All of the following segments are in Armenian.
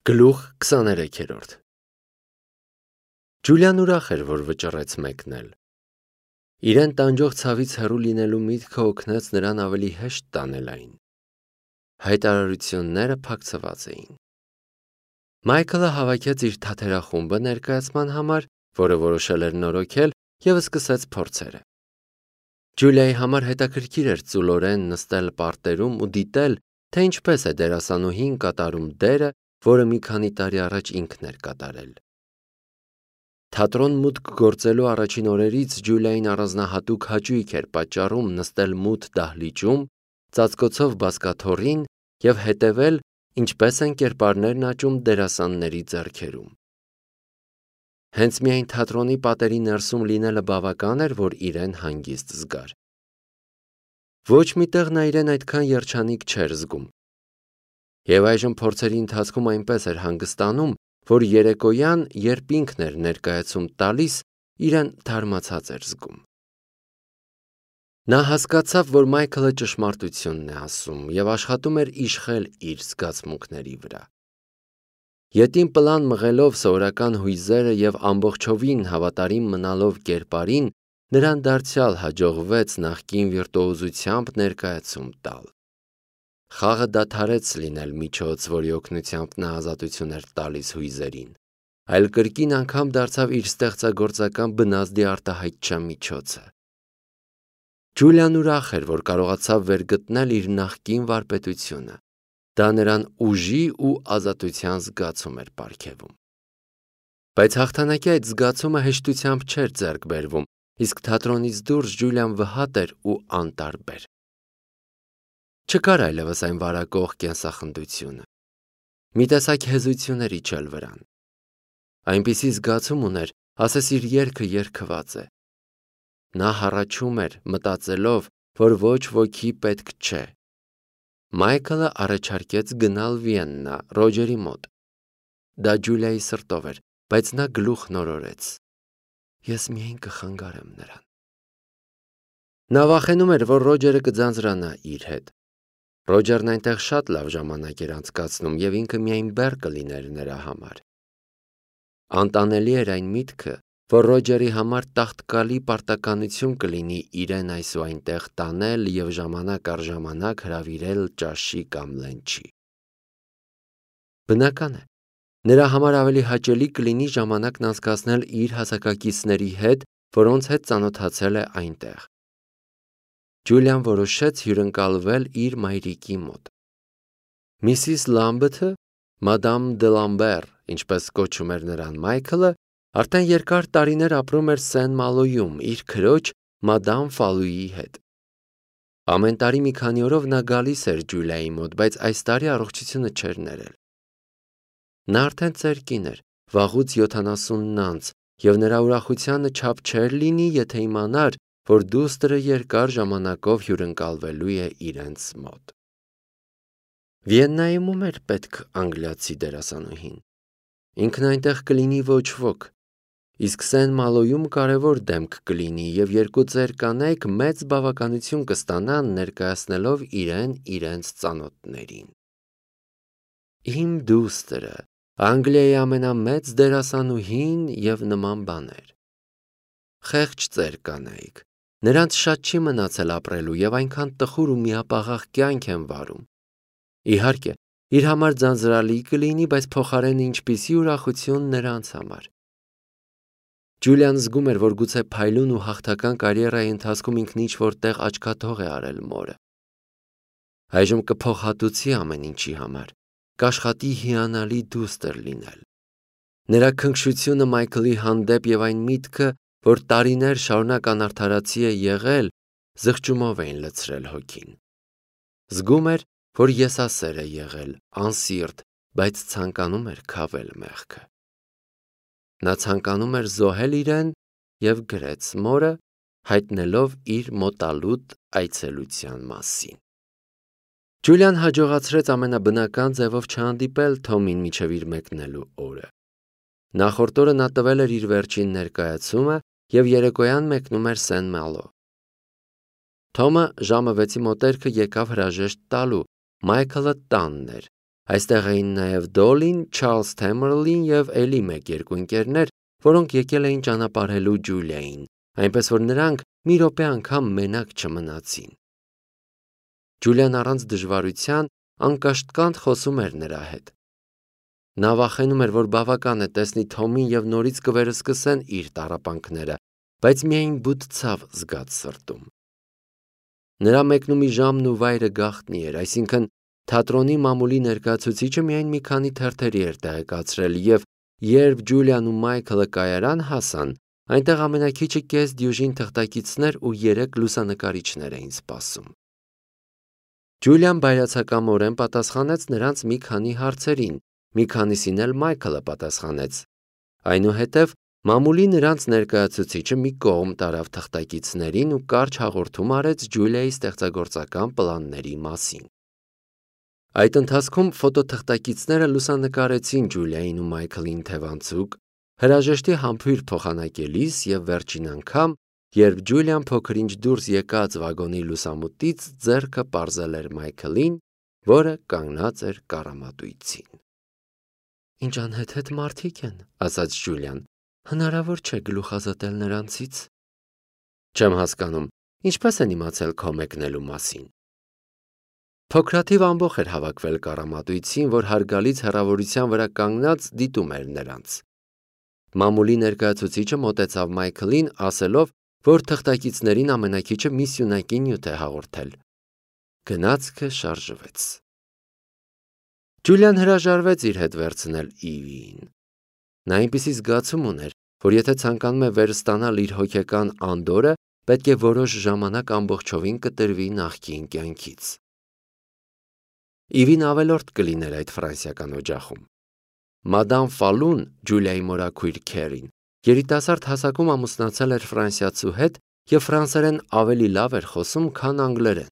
Գլուխ 23-րդ Ջուլիան ուրախ էր, որ վճռեց մեկնել։ Իրեն տանջող ցավից հեռու լինելու միտքը օգնեց նրան ավելի հեշտ տանել այն։ Հայտարարությունները փակցված էին։ Մայքլը հավաքեց իր թաթերախումբը ներկայացման համար, որը որոշել էր նորոգել, և սկսեց փորձերը։ Ջուլիայի համար հետաքրքիր էր ծուլորեն նստել պարտերում ու դիտել, թե ինչպես է դերասանուհին կատարում դերը, որը մի քանի տարի առաջ ինքն էր կատարել։ Թատրոն մուտք գործելու առաջին օրերից Ջուլիային առանձնահատուկ հաճույք էր պատճառում նստել մութ դահլիճում, ծածկոցով բազկաթոռին և հետևել, ինչպես են կերպարներն աճում դերասանների ձեռքերում։ Հենց միայն թատրոնի պատերի ներսում լինելը բավական էր, որ իրեն հանգիստ զգար։ Ոչ մի տեղ նա իրեն այդքան երջանիկ չէր զգում։ Եվ այժմ փորձերի ընթացքում այնպես էր հանգստանում, որ երեկոյան, երբ ինքն էր ներկայացում տալիս, իրեն թարմացած էր զգում։ Նա հասկացավ, որ Մայքլը ճշմարտությունն է ասում և աշխատում էր իշխել իր զգացմունքների վրա։ Ետին պլան մղելով սովորական հույզերը և ամբողջովին հավատարիմ մնալով կերպարին, նրան դարձյալ հաջողվեց նախկին վիրտուոզությամբ ներկայացում տալ։ Խաղը դադարեց լինել միջոց, որի օգնությամբ նա ազատություն էր տալիս հույզերին, այլ կրկին անգամ դարձավ իր ստեղծագործական բնազդի արտահայտչա միջոցը։ Ջուլիան ուրախ էր, որ կարողացավ վերգտնել իր նախկին վարպետությունը։ Դա նրան ուժի ու ազատության զգացում էր պարգևում։ Բայց հաղթանակի այդ զգացումը հեշտությամբ չէր ձեռք բերվում, իսկ թատրոնից դուրս Ջուլիան վհատ էր ու անտարբեր։ Չկար այլևս այն վարակող կենսախնդությունը։ Մի տեսակ հեզություն էր իջել վրան։ Այնպիսի զգացում ուներ, ասես իր երգը երգված է։ Նա հառաչում էր, մտածելով, որ ոչ ոքի պետք չէ։ Մայքլը առաջարկեց գնալ Վիեննա, Ռոջերի մոտ։ Դա Ջուլիայի սրտով էր, բայց նա գլուխ նորորեց։ Ես միայն կխանգարեմ նրան։ Նա վախենում էր, որ Ռոջերը կձանձրանա իր հետ։ Ռոջերն այնտեղ շատ լավ ժամանակ էր անցկացնում և ինքը միայն բեռ կլիներ նրա համար։ Անտանելի էր այն միտքը, որ Ռոջերի համար տաղտկալի պարտականություն կլինի իրեն այս ու այնտեղ տանել և ժամանակ առ ժամանակ հրավիրել ճաշի կամ լենչի։ Բնական է, նրա համար ավելի հաճելի կլինի ժամանակն անցկացնել իր հասակակիցների հետ, որոնց հետ ծանոթացել է այնտեղ։ Ջուլիան որոշեց հյուրընկալվել իր մայրիկի մոտ։ Միսիս Լամբեթը, Մադամ դե Լամբեր, ինչպես կոչում էր նրան Մայքլը, արդեն երկար տարիներ ապրում էր Սեն-Մալոյում իր քրոջ Մադամ Ֆալուի հետ։ Ամեն տարի մի քանի օրով նա գալիս էր Ջուլիայի մոտ, բայց այս տարի առողջությունը չէր ներել։ Նա արդեն ծեր կին էր, վաղուց 70-ն անց, և նրա ուրախությանը չափ չէր լինի, եթե իմանար, որ դուստրը երկար ժամանակով հյուրընկալվելու է իրենց մոտ։ Վիեննայում ում էր պետք անգլիացի դերասանուհին։ Ինքն այնտեղ կլինի ոչ ոք, իսկ Սեն-Մալոյում կարևոր դեմք կլինի և երկու ծեր կանայք մեծ բավականություն կստանան ներկայացնելով իրեն իրենց ծանոթներին։ Իմ դուստրը, Անգլիայի ամենամեծ դերասանուհին և նման բաներ։ Խեղճ ծեր կանայք, նրանց շատ չի մնացել ապրելու և այնքան տխուր ու միապաղաղ կյանք են վարում։ Իհարկե, իր համար ձանձրալի կլինի, բայց փոխարենը ինչպիսի ուրախություն նրանց համար։ Ջուլիան զգում էր, որ գուցե փայլուն ու հաղթական կարիերայի ընթացքում ինքն ինչ-որ տեղ աչքաթող է արել մորը։ Այժմ կփոխհատուցի ամեն ինչի համար, կաշխատի հիանալի դուստր լինել։ Նրա քնքշությունը Մայքլի հանդեպ և այն միտքը, որ տարիներ շարունակ անարդարացի է եղել, զղջումով էին լցրել հոգին։ Զգում էր, որ եսասեր է եղել, անսիրտ, բայց ցանկանում էր քավել մեղքը։ Նա ցանկանում էր զոհել իրեն և գրեց մորը, հայտնելով իր մոտալուտ այցելության մասին։ Ջուլիան հաջողացրեց ամենաբնական ձևով չհանդիպել Թոմին մինչև իր մեկնելու օրը։ Նախորդ օրը նա տվել էր իր վերջին ներկայացումը և երեկոյան մեկնում էր Սեն-Մալո։ Թոմը ժամը 6-ի մոտերքը եկավ հրաժեշտ տալու, Մայքլը տանն էր, Այստեղ էին նաև Դոլին, Չարլզ Թեմերլին և էլի մեկ-երկու ընկերներ, որոնք եկել էին ճանապարհելու Ջուլիային, այնպես որ նրանք մի րոպե անգամ մենակ չմնացին։ Ջուլիան առանց դժվարության անկաշտկանդ խոսում էր նրա հետ։ Նա վախենում էր, որ բավական է տեսնի Թոմին և նորից կվերսկսեն իր տառապանքները, բայց միայն բութ ցավ զգաց սրտում։ Նրա մեկնումի ժամն ու վայրը գաղտնի էր, այսինքն թատրոնի մամուլի ներկայացուցիչը միայն մի քանի թերթերի էր տեղեկացրել, և երբ Ջուլիան ու Մայքլը կայարան հասան, այնտեղ ամենաքիչը կես դյուժին թղթակիցներ ու 3 լուսանկարիչներ էին սպասում։ Ջուլիան բայրացակամորեն պատասխանեց նրանց մի քանի հարցերին, մի քանիսին էլ Մայքլը պատասխանեց։ Այնուհետև մամուլի նրանց ներկայացուցիչը մի կողմ տարավ թղթակիցներին ու կարճ հաղորդում արեց Ջուլիայի ստեղծագործական պլանների մասին։ Այդ ընթացքում ֆոտոթղթակիցները լուսանկարեցին Ջուլիային ու Մայքլին թևանցուկ, հրաժեշտի համբույր փոխանակելիս և վերջին անգամ, երբ Ջուլիան փոքր-ինչ դուրս եկած վագոնի լուսամուտից ձեռքը պարզել էր Մայքլին, որը կանգնած էր կառամատույցին։ «Ինչ անհեթեթ մարդիկ են», ասաց Ջուլիան, հնարավոր չէ գլուխազատել նրանցից։ Չեմ հասկանում, ինչպես են իմացել քո մեկնելու մասին։ Փոքրաթիվ ամբոխ էր հավաքվել կառամատույցին, որ հարգալից հեռավորության վրա կանգնած դիտում էր նրանց։ Մամուլի ներկայացուցիչը մոտեցավ Մայքլին, ասելով, որ թղթակիցներին ամենաքիչը մի սյունակի նյութ է հաղորդել։ Գնացքը շարժվեց։ Ջուլիան հրաժարվեց իր հետ վերցնել Իվիին։ Նա այնպիսի զգացում ուներ, որ եթե ցանկանում է վերստանալ իր հոգեկան անդորրը, պետք է որոշ ժամանակ ամբողջովին կտրվի նախկին կյանքից։ Իվին ավելորդ կլիներ այդ ֆրանսիական օջախում։ Մադամ Ֆալուն, Ջուլիայի մորաքույր Քերին, երիտասարդ հասակում ամուսնացել էր ֆրանսիացու հետ և ֆրանսերեն ավելի լավ էր խոսում, քան անգլերեն։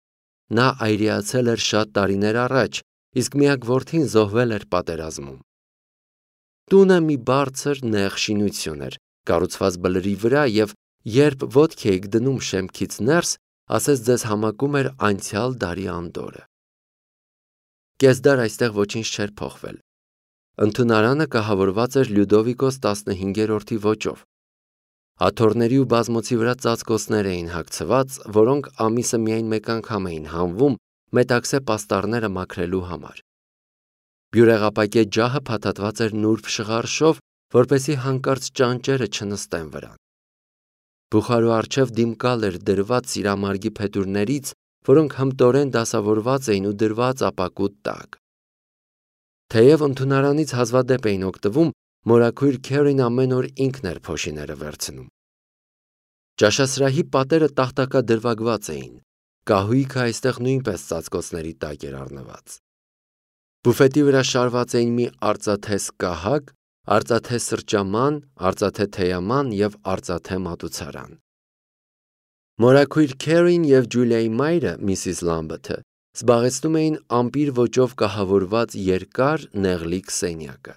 Նա այրիացել էր շատ տարիներ առաջ, իսկ միակ որդին զոհվել էր պատերազմում։ Տունը մի բարձր նեղ շինություն էր, կառուցված բլրի վրա, և երբ ոտք էիք դնում շեմքից ներս, ասես ձեզ համակում էր անցյալ դարի անդորրը։ Կես դար այստեղ ոչինչ չէր փոխվել։ Ընդունարանը կահավորված էր Լյուդովիկոս 15-րդի ոճով։ Աթոռների ու բազմոցի վրա ծածկոցներ էին հագցված, որոնք ամիսը միայն մեկ անգամ էին հանվում մետաքսե պաստառները մաքրելու համար։ Բյուրեղապակե ջահը փաթաթված էր նուրբ շղարշով, որպեսզի հանկարծ ճանճերը չնստեն վրան։ Բուխարու առջև դիմկալ էր դրված սիրամարգի փետուրներից, որոնք հմտորեն դասավորված էին ու դրված ապակու տակ։ Թեև ընդունարանից հազվադեպ էին օգտվում, մորաքույր Քերին ամեն օր ինքն էր փոշիները վերցնում։ Ճաշասրահի պատերը տախտակադրվագված էին։ Կահույքը այստեղ նույնպես ծածկոցների տակ էր առնված։ Բուֆետի վրա շարված էին մի արծաթե սկահակ, արծաթե սրճաման, արծաթե թեյաման և արծաթե մատուցարան։ Մորաքույր Քերին և Ջուլիայի մայրը, Միսիս Լամբեթը, զբաղեցնում էին ամպիր ոճով կահավորված երկար նեղլիկ սենյակը։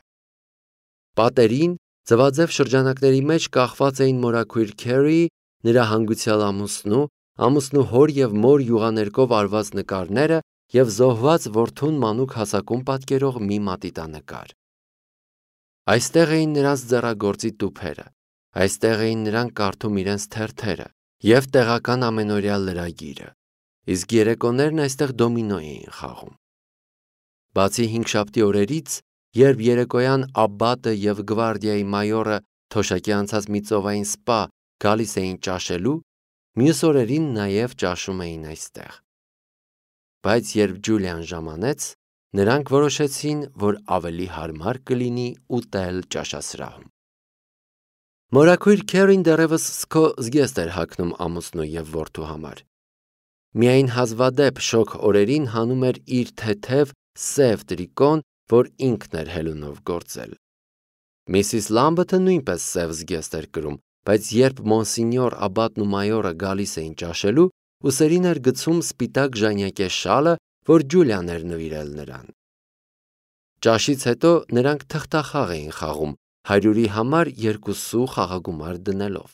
Պատերին ձվաձև շրջանակների մեջ կախված էին մորաքույր Քերիի, նրա հանգուցյալ ամուսնու հոր և մոր յուղաներկով արված նկարները և զոհված որդուն մանուկ հասակում պատկերող մի մատիտանկար։ Այստեղ էին նրանց ձեռագործի տուփերը, այստեղ էին նրանք կարդում իրենց թերթերը և տեղական ամենօրյա լրագիրը, իսկ երեկոներն այստեղ դոմինո էին խաղում։ Բացի հինգշաբթի օրերից, երբ երեկոյան Աբբատը և գվարդիայի մայորը թոշակի անցած մի ծովային սպա գալիս էին ճաշելու, մյուս օրերին նաև ճաշում էին այստեղ։ Բայց երբ Ջուլիան ժամանեց, նրանք որոշեցին, որ ավելի հարմար կլինի ուտել ճաշասրահում։ Մորաքույր Քերին դեռևս սքո զգեստ էր հագնում ամուսնու և որդու համար։ Միայն հազվադեպ շոգ օրերին հանում էր իր թեթև սև տրիկոն, որ ինքն էր հելունով գործել։ Միսիս Լամբեթը նույնպես սև զգեստ էր կրում, բայց երբ մոնսինյոր Աբբատն ու մայորը գալիս էին ճաշելու, ուսերին էր գցում սպիտակ ժանյակե շալը, որ Ջուլիան էր նվիրել նրան։ Ճաշից հետո նրանք թղթախաղ էին խաղում, 100-ի համար 2 խաղագումար դնելով։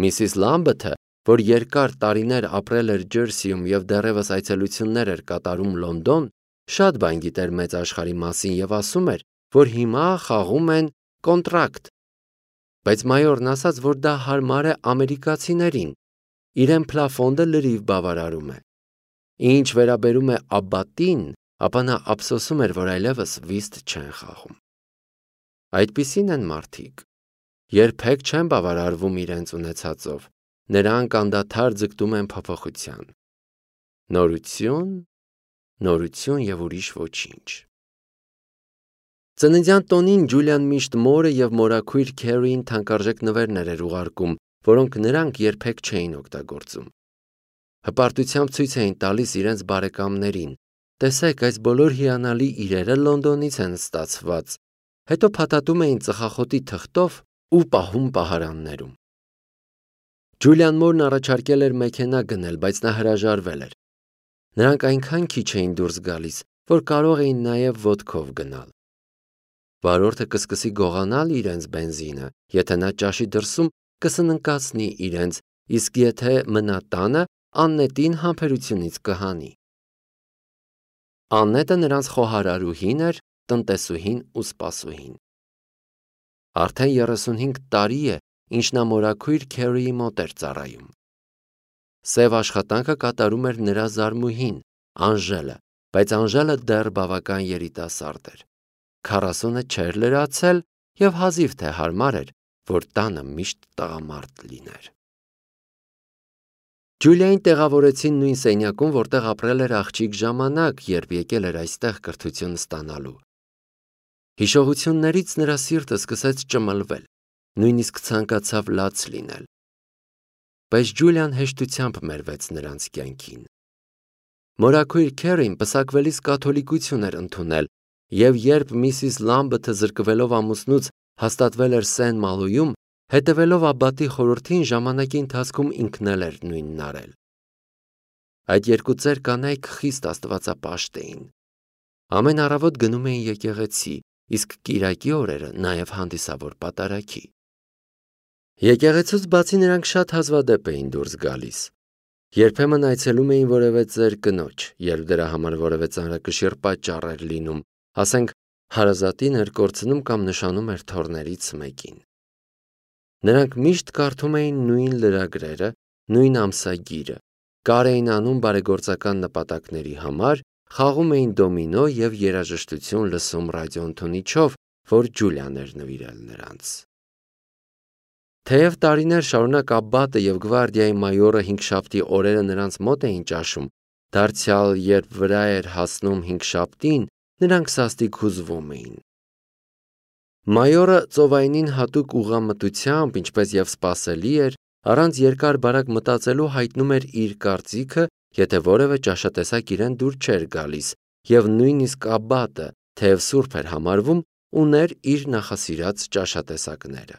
Միսիս Լամբեթը, որ երկար տարիներ ապրել էր Ջերսիում և դեռևս այցելություններ էր կատարում Լոնդոն, շատ բան գիտեր մեծ աշխարհի մասին եւ ասում էր, որ հիմա խաղում են կոնտրակտ։ Բայց մայորն ասաց, որ դա հարմար է ամերիկացիներին, իրեն Պլաֆոնդը լրիվ բավարարում է։ Ինչ վերաբերում է Աբբատին, ապա նա ափսոսում էր, որ այլևս վիստ չեն խաղում։ Այդպիսին են մարդիկ։ Երբեք չեն բավարարվում իրենց ունեցածով, նրանք անդադար ձգտում են փոփոխության։ Նորություն, նորություն եւ ուրիշ ոչինչ։ Ծննդյան տոնին Ջուլիան միշտ մորը եւ մորաքույր Քերին թանկարժեք նվերներ էր ուղարկում, որոնք նրանք երբեք չէին օգտագործում։ Հպարտությամբ ցույց էին տալիս իրենց բարեկամներին. տեսեք, այս բոլոր հիանալի իրերը Լոնդոնից են ստացված, հետո փաթաթում էին ծխախոտի թղթով ու պահում պահարաններում։ Ջուլիան մորն առաջարկել էր մեքենա գնել, բայց նա հրաժարվել էր։ Նրանք այնքան քիչ էին դուրս գալիս, որ կարող էին նաև ոտքով գնալ։ Վարորդը կսկսի գողանալ իրենց բենզինը, եթե նա ճաշի դրսում կսննկացնի իրենց, իսկ եթե մնա տանը, Աննետին համբերությունից կհանի։ Աննետը նրանց խոհարարուհին էր, տնտեսուհին ու սպասուհին։ Արդեն 35 տարի է, ինչ նա մորաքույր Քերիի մոտ էր ծառայում։ Սև աշխատանքը կատարում էր նրա զարմուհին, Անժելը, բայց Անժելը դեռ բավական երիտասարդ էր։ 40-ը չէր լրացել եւ հազիվ թե հարմար էր, որ տանը միշտ տղամարդ լիներ։ Ջուլիային տեղավորեցին նույն սենյակում, որտեղ ապրել էր աղջիկ ժամանակ, երբ եկել էր այստեղ կրթություն ստանալու։ Հիշողություններից նրա սիրտը սկսեց ճմլվել, նույնիսկ ցանկացավ լաց լինել։ Բայց Ջուլիան հեշտությամբ մերվեց նրանց կյանքին։ Մորաքույր Քերին պսակվելիս կաթոլիկություն էր ընդունել, եւ երբ Միսիս Լամբեթը զրկվելով ամուսնուց հաստատվել էր Սեն Մալույում, հետևելով Աբբատի խորհրդին ժամանակի ընթացքում ինքն էլ էր նույնն արել։ Այդ երկու ծեր կանայք խիստ աստվածապաշտ էին։ Ամեն առավոտ գնում էին եկեղեցի, իսկ կիրակի օրերը նաև հանդիսավոր պատարագի։ Եկեղեցուց բացի նրանք շատ հազվադեպ էին դուրս գալիս։ Երբեմն այցելում էին որևէ ծեր կնոջ, երբ դրա համար որևէ ծանրակշիռ պատճառ էր լինում, ասենք հարազատին էր կորցնում կամ նշանում էր թոռներից մեկին։ Նրանք միշտ կարդում էին նույն լրագրերը, նույն ամսագիրը, կար էին անում բարեգործական նպատակների համար, խաղում էին դոմինո եւ երաժշտություն լսում ռադիոընդունիչով, որ Ջուլիան էր նվիրել նրանց։ Թեև տարիներ շարունակ Աբբատը եւ գվարդիայի մայորը հինգշաբթի օրերը նրանց մոտ էին ճաշում, դարձյալ երբ վրա էր հասնում հինգշաբթին, նրանք սաստիկ հուզվում էին։ Մայորը ծովայնին հատուկ ուղղամտությամբ, ինչպես եւ սպասելի էր, առանց երկար բարակ մտածելու հայտնում էր իր կարծիքը, եթե որևէ ճաշատեսակ իրեն դուր չէր գալիս, եւ նույնիսկ Աբբատը, թեև սուրբ էր համարվում, ուներ իր նախասիրած ճաշատեսակները։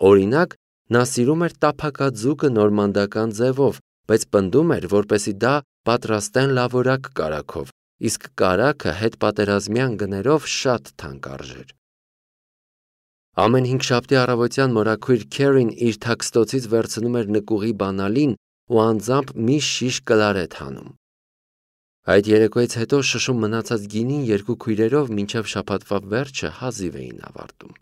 Օրինակ, նա սիրում էր տափակաձուկը նորմանդական ձևով, բայց պնդում էր, որպեսզի դա պատրաստեն լավորակ կարագով, իսկ կարագը հետպատերազմյան գներով շատ թանկ արժեր։ Ամեն հինգշաբթի առավոտյան մորաքույր Քերին իր թաքստոցից վերցնում էր նկուղի բանալին ու անձամբ մի շիշ կլարետ հանում։ Այդ երեկոյից հետո շշում մնացած գինին երկու քույրերով մինչև շաբաթվա վերջը հազիվ էին ավարտում։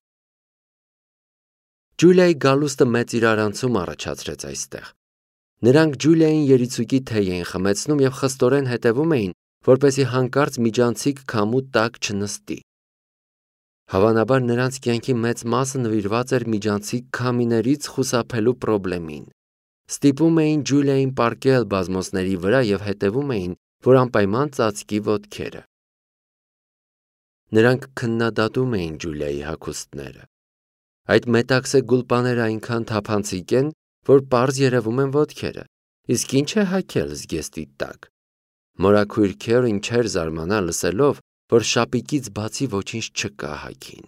Ջուլիայի գալուստը մեծ իրարանցում առաջացրեց այստեղ։ Նրանք Ջուլիային երիցուկի թեյ էին խմեցնում եւ խստորեն հետևում էին, որպեսզի հանկարծ միջանցիկ քամու տակ չնստի։ Հավանաբար նրանց կյանքի մեծ մասը նվիրված էր միջանցիկ քամիներից խուսափելու պրոբլեմին։ Ստիպում էին Ջուլիային պառկել բազմոցների վրա եւ հետևում էին, որ անպայման ծածկի ոտքերը։ Նրանք քննադատում էին Ջուլիայի հագուստները։ Այդ մետաքսե գուլպաները այնքան թափանցիկ են, որ պարզ երևում են ոտքերը, իսկ ինչ է հագել զգեստի տակ։ Մորաքույր Քերին չէր զարմանա լսելով, որ շապիկից բացի ոչինչ չկա հագին։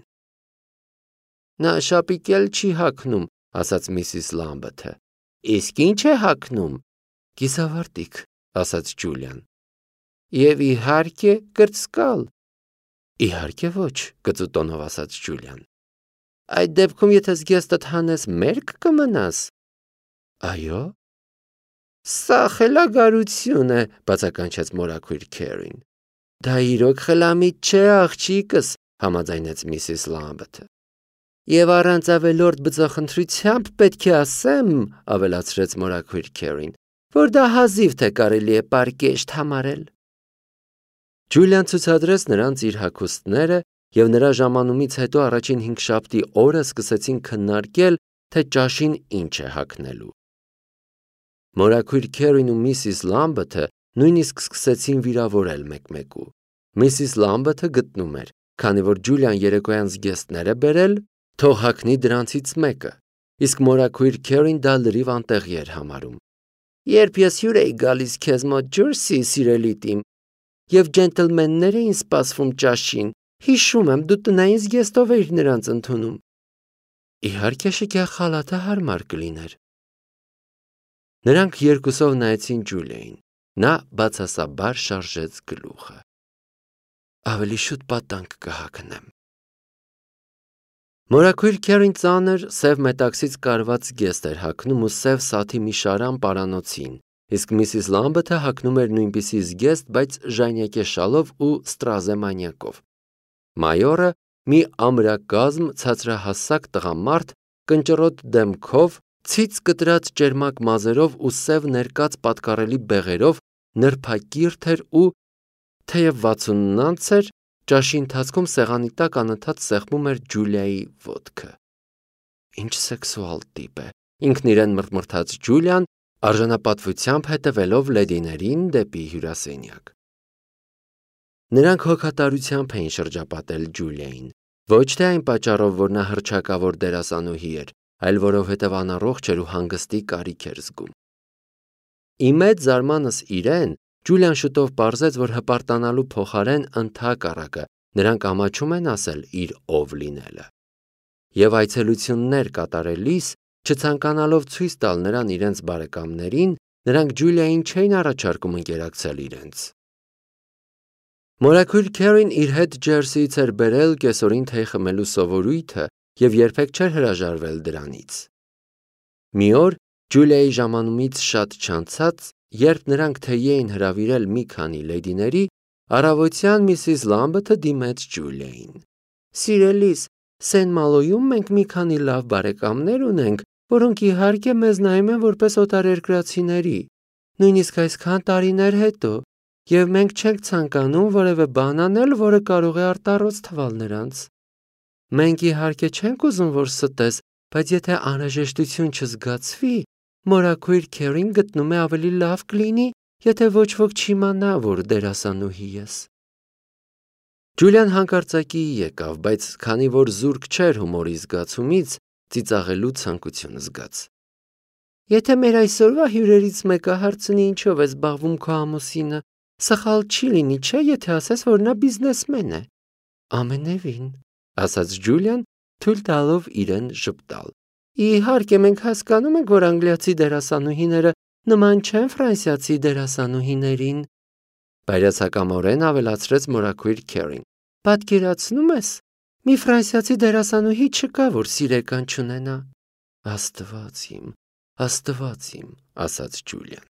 Նա շապիկել չի հագնում, ասաց Միսիս Լամբեթը։ Իսկ ինչ է հագնում։ Կիսավարտիք, ասաց Ջուլիան։ Եվ իհարկե կրծկալ։ Իհարկե ոչ, կծուտոնով ասաց Ջուլիան։ Այդ դեպքում եթե զգեստդ հանես, մերկ կմնաս։ Այո։ Սա խելագարություն է, բացականչեց մորաքույր Քերին։ Դա իրոք խելամիտ չէ, աղջիկս, համաձայնեց Միսիս Լամբեթը։ Եվ առանց ավելորդ բծախնդրությամբ պետք է ասեմ, ավելացրեց մորաքույր Քերին, որ դա հազիվ թե կարելի է պարկեշտ համարել։ Ջուլիան ցուցադրեց նրանց իր հագուստները, եւ նրա ժամանումից հետո առաջին 5 շաբթի օրը սկսեցին քննարկել, թե ճաշին ինչ է հագնելու։ Մորաքույր Քերին ու Միսիս Լամբեթը նույնիսկ սկսեցին վիրավորել մեկմեկու։ Միսիս Լամբեթը գտնում էր, քանի որ Ջուլիան երեկոյան զգեստներ է բերել, թող հագնի դրանցից մեկը, իսկ մորաքույր Քերին դա լրիվ անտեղի էր համարում։ Երբ ես հյուր էի գալիս քեզ մոտ Ջուրսի, սիրելի տիմ, եւ ջենտլմեններ էին սպասվում ճաշին, հիշում եմ, դու տնային զգեստով էիր նրանց ընդունում։ Իհարկե շքեղ խալաթը հարմար կլիներ։ Նրանք երկուսով նայեցին Ջուլիային։ Նա բացասաբար շարժեց գլուխը։ Ավելի շուտ պատանք կհագնեմ։ Մորաքույր Քերին ծանր սև մետաքսից կարված զգեստ էր հագնում ու սև սաթի մի շարան պարանոցին, իսկ Միսիս Լամբեթը հագնում էր նույնպիսի զգեստ, բայց ժանյակե շալով ու ստրազե մանյակով։ Մայորը մի ամրակազմ ցածրահասակ տղամարդ, կնճռոտ դեմքով, ցից կտրած ճերմակ մազերով ու սև ներկած պատկառելի բեղերով նրբակիրթ էր ու թեև 60-անց էր, ճաշի ընթացքում սեղանի տակ անընդհատ սեղմում էր Ջուլիայի ոտքը։ Ինչ սեքսուալ տիպ է, ինքն իրեն մռթմռթաց Ջուլիան, արժանապատվությամբ հետևելով լեդիներին դեպի հյուրասենյակ։ Նրանք հոգատարությամբ էին շրջապատել Ջուլիային, ոչ թե այն պատճառով, որ նա հռչակավոր դերասանուհի էր, այլ որովհետև անառողջ էր ու հանգստի կարիք էր զգում։ Ի մեծ զարմանս իրեն, Ջուլիան շուտով պարզեց, որ հպարտանալու փոխարեն ընդհակառակը նրանք ամաչում են ասել իր ով լինելը։ Եվ այցելություններ կատարելիս, չցանկանալով ցույց տալ նրան իրենց բարեկամներին, նրանք Ջուլիային չէին առաջարկում ընկերակցել իրենց։ Մորաքույր Քերին իր հետ Ջերսիից էր բերել կեսօրին թեյ խմելու սովորույթը եւ երբեք չէր հրաժարվել դրանից։ Մի օր Ջուլիայի ժամանումից շատ չանցած, երբ նրանք թեյի էին հրավիրել մի քանի լեդիների, առավոտյան Միսիս Լամբեթը դիմեց Ջուլիային։ Սիրելիս, Սեն-Մալոյում մենք մի քանի լավ բարեկամներ ունենք, որոնք իհարկե մեզ նայում են որպես օտարերկրացիների, նույնիսկ այսքան տարիներ հետո, եւ մենք չենք ցանկանում որևէ բան անել, որը կարող է արտառոց թվալ նրանց։ Մենք իհարկե չենք ուզում, որ ստես, բայց եթե անհրաժեշտություն չզգացվի, մորաքույր Քերին գտնում է ավելի լավ կլինի, եթե ոչ ոք չիմանա, որ դերասանուհի ես։ Ջուլիան հանկարծակի եկավ, բայց քանի որ զուրկ չէր հումորի զգացումից, ծիծաղելու ցանկություն զգաց։ Եթե մեր այսօրվա հյուրերից մեկը հարցնի ինչով է զբաղվում քո ամուսինը, սխալ չի լինի, չէ, եթե ասես, որ նա բիզնեսմեն է։ Ամենևին, ասաց Ջուլիան, թույլ տալով իրեն ժպտալ։ Իհարկե մենք հասկանում ենք, որ անգլիացի դերասանուհիները նման չեն ֆրանսիացի դերասանուհիներին, բայրացակամորեն ավելացրեց մորաքույր Քերին։ Պատկերացնում ես, մի ֆրանսիացի դերասանուհի չկա, որ սիրեկան չունենա։ Աստված իմ, ասաց Ջուլիան։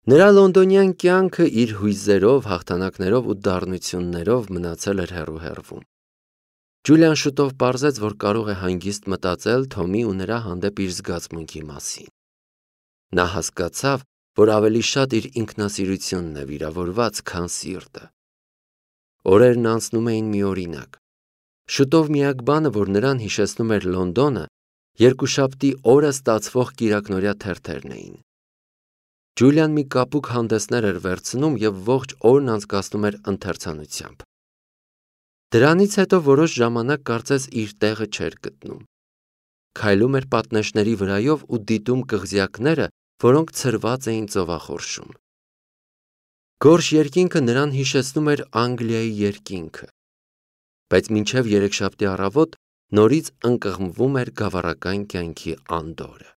Նրա լոնդոնյան կյանքը իր հույզերով, հաղթանակներով ու դառնություններով մնացել էր հեռու-հեռվում։ Ջուլիան շուտով պարզեց, որ կարող է հանգիստ մտածել Թոմի ու նրա հանդեպ իր զգացմունքի մասին։ Նա հասկացավ, որ ավելի շատ իր ինքնասիրությունն է վիրավորված, քան սիրտը։ Օրերն անցնում էին միօրինակ։ Շուտով միակ բանը, որ նրան հիշեցնում էր Լոնդոնը, երկուշաբթի օրը ստացվող կիրակնօրյա թերթերն էին։ Ջուլիան մի կապուկ հանդեսներ էր վերցնում եւ ողջ օրն անցկացնում էր ընթերցանությամբ։ Դրանից հետո որոշ ժամանակ կարծես իր տեղը չէր գտնում։ Քայլում էր պատնեշների վրայով ու դիտում կղզյակները, որոնք ցրված էին ծովախորշում։ Գորշ երկինքը նրան հիշեցնում էր Անգլիայի երկինքը, բայց մինչև երեքշաբթի առավոտ նորից ընկղմվում էր գավառական կյանքի անդորը։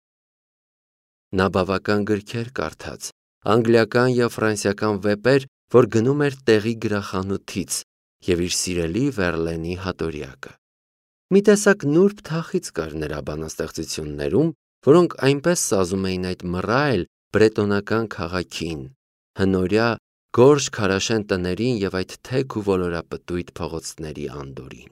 Նա բավական գրքեր կարդաց, անգլիական և ֆրանսիական վեպեր, որ գնում էր տեղի գրախանութից և իր սիրելի Վերլենի հատորյակը։ Մի տեսակ նուրբ թախիծ կար նրա բանաստեղծություններում, որոնք այնպես սազում էին այդ մռայլ բրետոնական քաղաքին, հնորյա գորշ քարաշեն տներին եւ այդ թեք ու ոլորապտույտ փողոցների անդորին։